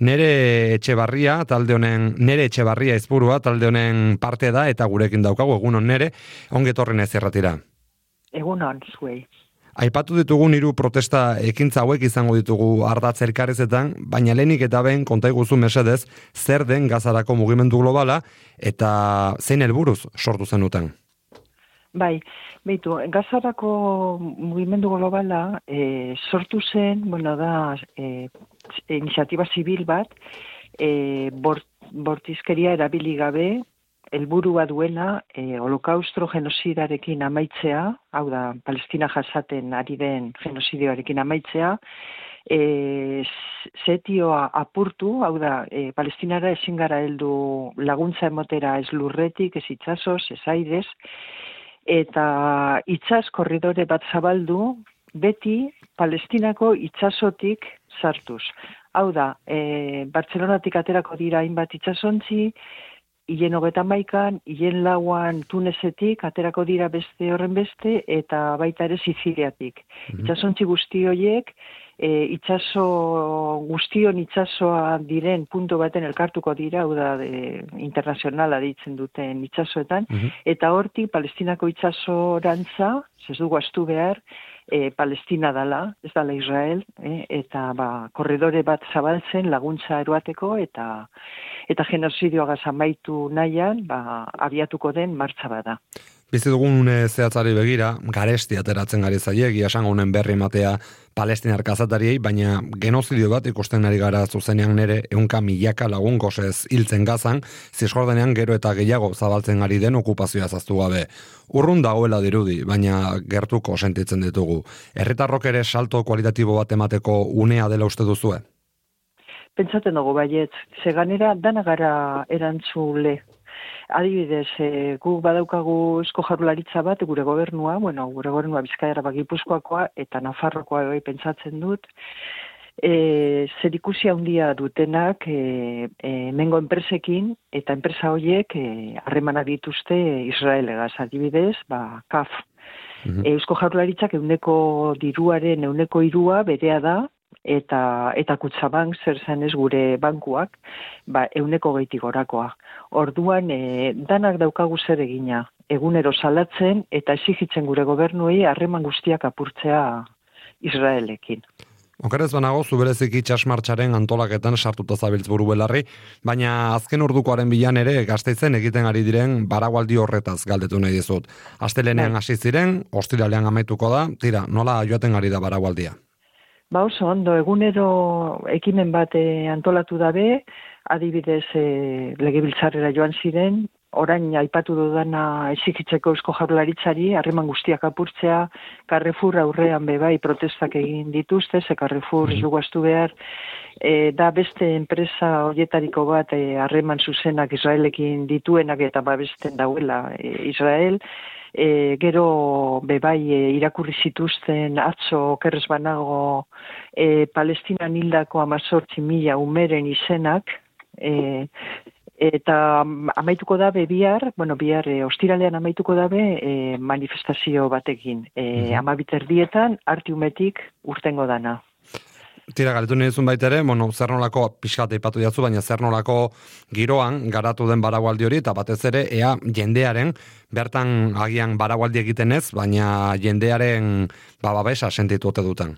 Nere Etxebarria izburua talde honen parte da eta gurekin daukagu, egunon Nere, ongetorren ez erratira. Egunon, zuei. Aipatu ditugun 3 protesta ekintza hauek izango ditugu ardatz elkarrezetan, baina lehenik eta behin konta iguzu mesedez zer den Gazarako mugimendu globala eta zein helburuz sortu zenuten? Bai, beitu, Gazarako mugimendu globala sortu zen, da iniziatiba zibil bat, bortizkeria erabili gabe, helburua duena holokaustro genosidarekin amaitzea, hau da, Palestina jasaten ari den genosidioarekin amaitzea, zetioa apurtu, hau da, Palestinara ezin gara heldu laguntza emotera ez lurretik, ez itsasoz, ez airez, eta itsas korridore bat zabaldu, beti Palestinako itsasotik sartuz. Hau da, Bartzelonatik aterako dira hainbat itsasontzi, hilen 31, hilen 4 Tunesetik aterako dira beste horren beste, eta baita ere Siziliatik. Itsasontzi guzti horiek, guztion itsasoa diren puntu baten elkartuko dira, hau da, internazionala deitzen duten itsasoetan, eta hortik Palestinako itsasorantza, ez dugu astu behar, Palestina dala, ez dala Israel, eta korridore bat zabaltzen laguntza eroateko eta genosidioagaz amaitu nahian, abiatuko den martxa bada. Bizi dugun zehatzari begira, garesti ateratzen gari zaie, esango honen berri ematea palestinar kazatariei, baina genozidio bat ikusten ari gara zuzenean Nere 100.000 lagun gosez hiltzen Gazan, Zisjordanean gero eta gehiago zabaltzen ari den okupazioa zaztu gabe. Urrun dagoela dirudi, baina gertuko sentitzen ditugu. Herritarrok ere salto kualitatibo bat emateko unea dela uste duzue? Pentsatzen dugu baiet, zeganera dana gara erantzule. Adibidez, guk badaukagu Eusko Jaurlaritza bat, gure gobernua Bizkaia Gipuzkoakoa eta Nafarroakoa bai pentsatzen dut, zerikusi handia dutenak hemengo enpresekin, eta enpresa horiek harremanak dituzte Israelegaz, adibidez, KAF. Eusko Jaurlaritzak ehuneko diruaren 3% berea da, eta Kutxabank zer zanez gure bankuak, 100% gorakoa. Orduan, danak daukagu zer egina, egunero salatzen eta exigitzen gure gobernuei harreman guztiak apurtzea Israelekin. Okerez banago, zubereziki itsasmartxaren antolaketan sartuta zabiltz buru belarri, baina azken ordukoaren bilan ere Gasteizen egiten ari diren baragualdi horretaz galdetu nahi dizut. Astelenean hasi ziren, ostiralean amaituko da, tira, nola joaten ari da baragualdia? Oso ondo, egunero ekimen bat antolatu dabe, adibidez legebiltzarrera joan ziren, orain aipatu dudana exigitzeko Eusko Jaurlaritzari, harreman guztiak apurtzea, Carrefour aurrean bebai protestak egin dituzte, ze Carrefour ez dugu astu behar, da beste enpresa horietariko bat harreman zuzenak Israelekin dituenak eta babesten dauela Israel, gero bebai irakurri zituzten atzo okerrez banago Palestinan hildako 18.000 umeren izenak, eta amaituko dabe bihar ostiralean amaituko dabe manifestazio batekin. 12:00 Artiumetik urtengo dana. Tira, galetu nizun baita ere, zer nolako, pixkat eipatu jatzu, baina zer nolako giroan garatu den baragualdi hori, eta batez ere, ea jendearen, bertan agian baragualdi egiten ez, baina jendearen babesa sentitu ote duten.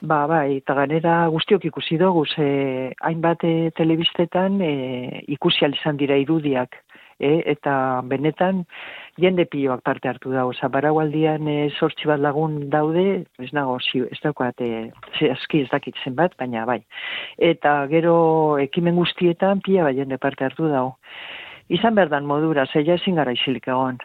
Bai, eta ganera guztiok ikusi dugu, hainbat telebistetan ikusi izan dira irudiak, eta benetan jende pioak parte hartu dago. Baragualdian 8 bat lagun daude, ez daukat aski ez dakit zenbat, baina bai. Eta gero ekimen guztietan pila bat jende parte hartu dago. Izan berdan modura, zeia ezin gara isilik egon.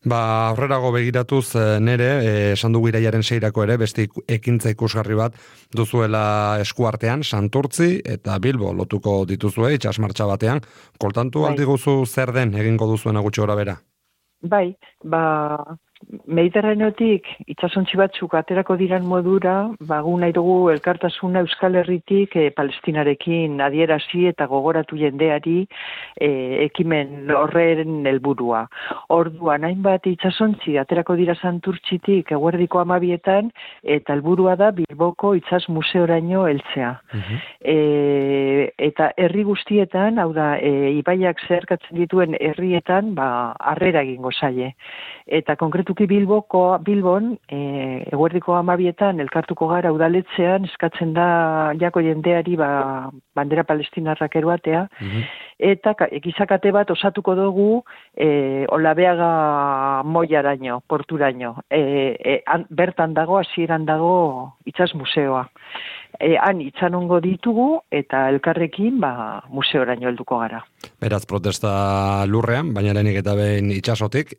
Aurrerago begiratuz Nere, esan dugu iraiaren 6 ere, beste ekintza ikusgarri bat duzuela eskuartean, Santurtzi eta Bilbo lotuko dituzue, itsasmartxa batean. Koltantu aldi guzu zer den egingo duzuena gutxi gora bera? Bai, Mediterraneotik itsasontzi batzuk aterako diran modura, gu nahi dugu elkartasuna Euskal Herritik Palestinarekin adierazi eta gogoratu jendeari ekimen horren helburua. Orduan, hainbat itsasontzi aterako dira Santurtzitik eguerdiko 12etan, eta helburua da Bilboko itsas museoraino heltzea. Eta herri guztietan, hau da, ibaiak zeharkatzen dituen herrietan, harrera egingo zaie. Eta konkretuki Bilbon, eguerdiko 12etan elkartuko gara udaletzean, eskatzen da jako jendeari bandera palestinarrak eroatea, eta gizakate bat osatuko dugu Olabeaga Moiaraino, porturaino. Bertan dago, hasieran dago itsas museoa. Han itxanongo ditugu eta elkarrekin museoraino helduko gara. Beraz, protesta lurrean, baina lehenik eta behin itxasotik,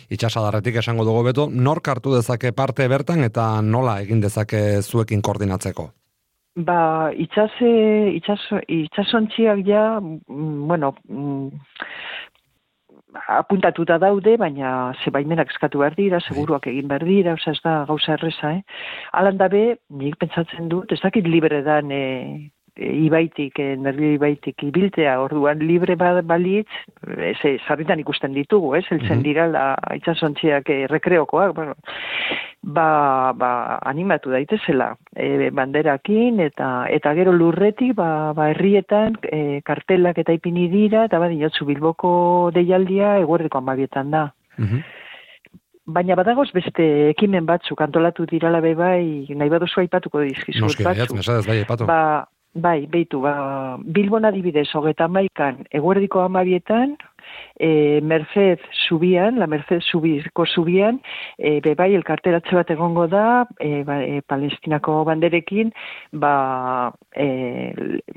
itxasadarretik esango dugu beto, nork hartu dezake parte bertan eta nola egin dezake zuekin koordinatzeko? Itxasontziak ja, apuntatuta daude, baina baimenak eskatu behar dira, seguruak egin behar dira, ez da gauza erreza, Alan dabe, nik pentsatzen dut, ez dakit libre dan ibaitik, nervio ibaitik ibiltea, orduan libre balitz, sarritan ikusten ditugu, heltzen dira itxasontziak rekreokoak, animatu daitezela banderakin, eta gero lurretik, herrietan kartelak eta ipini dira, eta badiotzu Bilboko deialdia eguerdiko 12etan da. Baina badagoz beste ekimen batzuk antolatu dirala bai, nahi baduzu aipatuko dizkizut batzuk. Mesadez, bai, aipatu. Bai, beitu, Bilbon adibidez, 31 eguerdiko 12etan, Merced Zubian, la Merced Zubiko Zubian, bai, elkarteratze bat egongo da, Palestinako banderekin,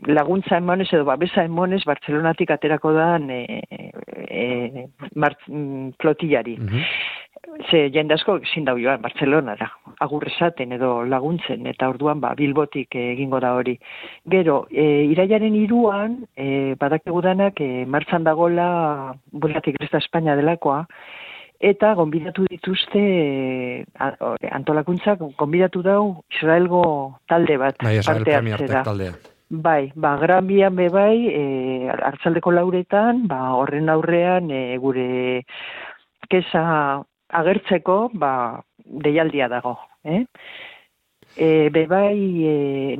laguntza emonez edo babesa emonez Bartzelonatik aterako da flotillari. Jende asko ezin da joan Bartzelonara, agur esaten edo laguntzen, eta orduan Bilbotik egingo da hori. Gero, irailaren 3an, badakigu danak martxan dagola Bulgatik Krista Espainia delakoa, eta gonbidatu dituzte antolakuntzak, gonbidatu dau Israelgo talde bat parte hartzera. Gran bian bai, hartzaldeko 4etan, horren aurrean gure kesa agertzeko, deialdia dago.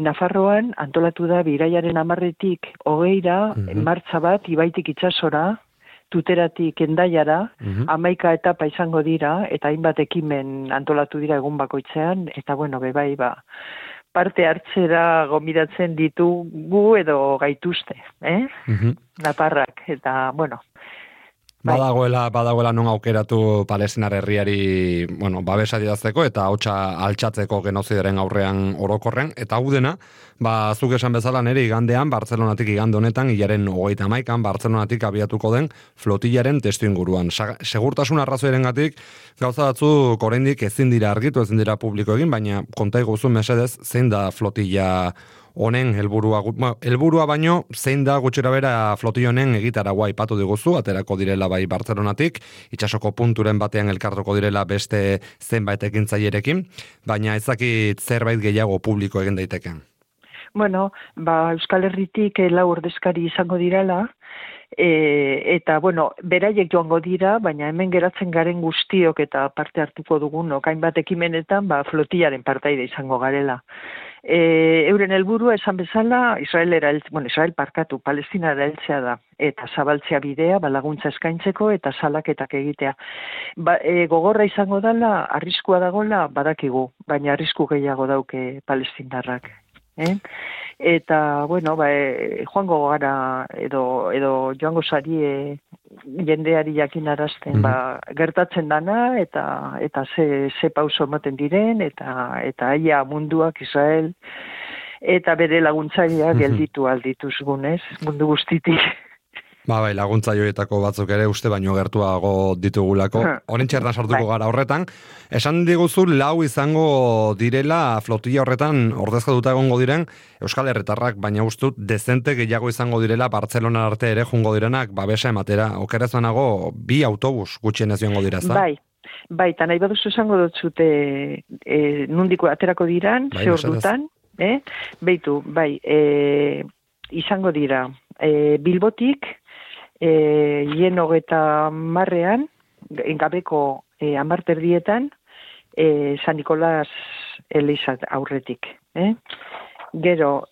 Nafarroan antolatu da irailaren 10etik 20ra, martxa bat, ibaitik itsasora, Tuteratik Endaiara, 11 etapa izango dira, eta hainbat ekimen antolatu dira egun bakoitzean, eta parte hartzera gonbidatzen ditugu edo gaituzte, Naparrak, eta Badagoela non aukeratu Palestinar herriari, babesa didazteko eta hotsa altxatzeko genozidaren aurrean orokorren, eta hau dena, zuk esan bezala nire igandean, Bartzelonatik igande honetan, hilaren 31an, Bartzelonatik abiatuko den flotillaren testuinguruan. Segurtasun arrazoirengatik gauza batzuk oraindik ezin dira argitu, ezin dira publiko egin, baina konta iguzu mesedez, zein da flotilla honen helburua baino, zein da gutxera bera flotilla honen egitaragua aipatu diguzu, aterako direla bai Bartzelonatik, itsasoko punturen batean elkartuko direla beste zenbait ekintzailerekin, baina ez dakit zerbait gehiago publiko egin daiteken. Euskal Herritik 4 ordezkari izango direla, eta, beraiek joango dira, baina hemen geratzen garen guztiok eta parte hartuko dugunok, hainbat ekimenetan, flotillaren partaide izango garela. Euren helburua esan bezala, Palestinara heltzea da, eta zabaltzea bidea, laguntza eskaintzeko eta salaketak egitea. Gogorra izango dela, arriskua dagoela, badakigu, baina arrisku gehiago dauke palestinarrak. Eta, joango gara, edo joango sari jendeari jakinarazten, gertatzen dana, eta ze pauso ematen diren, eta aia munduak, Israel, eta bere laguntzaileak gelditu aldituzgunez, mundu guztitik. Laguntza joietako batzuk ere uste baino gertuago ditugulako. Horen txertan sartuko gara horretan. Esan diguzu 4 izango direla flotilla horretan ordezkatuta egongo diren Euskal Herritarrak, baina ustut dezente gehiago izango direla Bartzelona arte ere jungo direnak babesa ematera. Okerez banago 2 autobus gutxienez joango dira, ezta? Bai, eta nahi baduzu esango dotzute nundiko aterako diran, Bai, ze ordutan, beitu, bai, izango dira, Bilbotik, hien 30 gabeko 10:00 San Nikolas Eliza aurretik, Gero,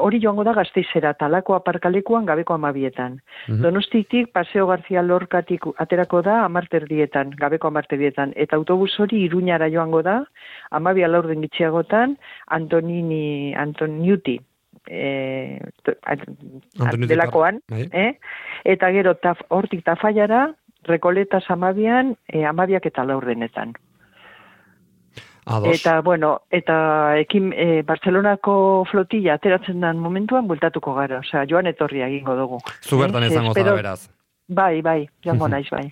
hori joango da Gasteizera, Talako aparkalekuan gabeko 12:00. Donostitik Paseo García Lorcatik aterako da 10:00, gabeko 10:00. Eta autobus hori Iruñara joango da, 12:04 gitxiagotan, Antoniuti, delakoan, eta gero hortik Tafallara, Rekoletas 12:00, 12:04. Eta, bueno, Barcelonako flotilla ateratzen den momentuan bueltatuko gara, osea, joan etorria egingo dugu. Zu bertan izango zara, beraz. Bai, joango naiz, bai.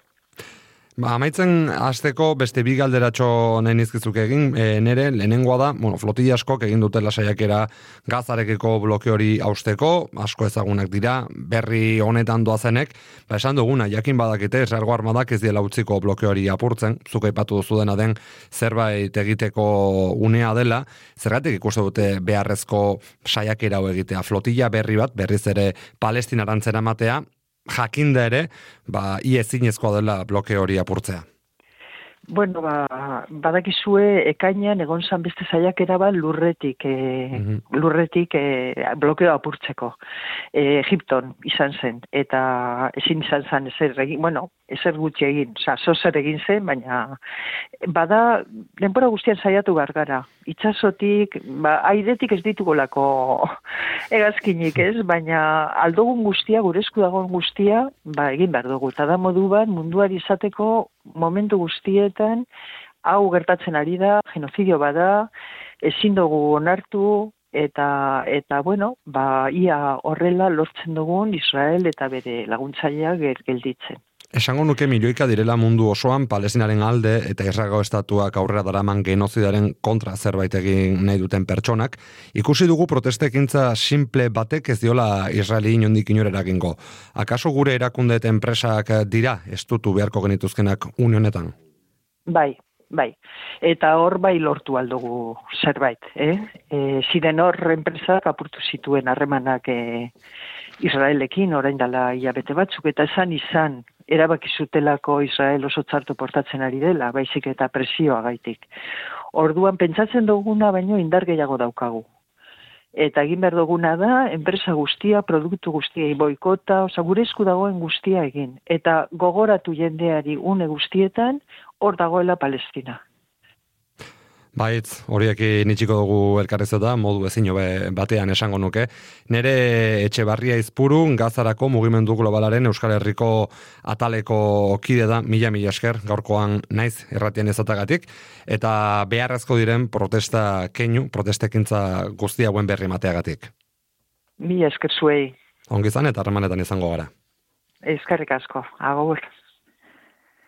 Amaitzen hasteko beste bi galderatxo nahi nizkizuk egin, nere lehenengoa da, flotilla askok egin dutela saiakera Gazarekiko bloke hori hausteko, asko ezagunak dira, berri honetan doazenek, esan duguna, jakin badakite, Israelgo armadak ez diela utziko bloke hori apurtzen, zuk aipatu duzu dena den zerbait egiteko unea dela, zergatik ikuste dute beharrezko saiakera hau egitea, flotilla berri bat, berriz ere Palestinarantzera ematea, jakinda ere, ezinezkoa dela bloke hori apurtzea. Bueno, badakizue ekainean egon zan beste saiakera bat lurretik blokeo apurtzeko. Egipton izan zen, eta ezin izan zen ezer gutxi egin, zozer egin zen, baina bada, denbora guztian saiatu gara. Itxasotik, airetik ez ditugolako hegazkinik ez, baina aldogun guztia, gure esku dagoen guztia, egin behar dugu. Eta da modu bat, munduari izateko momentu guztietan, hau gertatzen ari da, genozidio bada, ezin dugu onartu, eta ia horrela lortzen dugun Israel eta bere laguntzaileak gelditzen. Esango nuke milioika direla mundu osoan Palestinaren alde eta Israelgo estatuak aurrera daraman genozidaren kontra zerbait egin nahi duten pertsonak, ikusi dugu protestekintza simple batek ez diola Israeli inondik inora eragingo. Akaso gure erakunde eta enpresak dira estutu beharko genituzkenak une honetan? Bai. Eta hor lortu aldugu zerbait, ziren hor enpresak apurtu zituen harremanak Israelekin, orain dela hilabete batzuk, eta izan erabaki zutelako Israel oso txarto portatzen ari dela, baizik eta presioa gaitik. Orduan pentsatzen duguna baino indar gehiago daukagu. Eta egin behar duguna da, enpresa guztia, produktu guztia, boikota, gure esku dagoen guztia egin. Eta gogoratu jendeari une guztietan, hor dagoela Palestina. Baitz, horiek nitxiko dugu elkarrezeta, modu ezin hobe batean esango nuke. Nere Etxebarria Izpuru, Gazarako mugimendu globalaren Euskal Herriko ataleko kide da, mila esker, gaurkoan naiz erratien ezatagatik, eta beharrezko diren protestekintza guztia hauen berri mateagatik. Mila esker zuei. Ongizan eta harremanetan izango gara. Eskerrik asko, agur.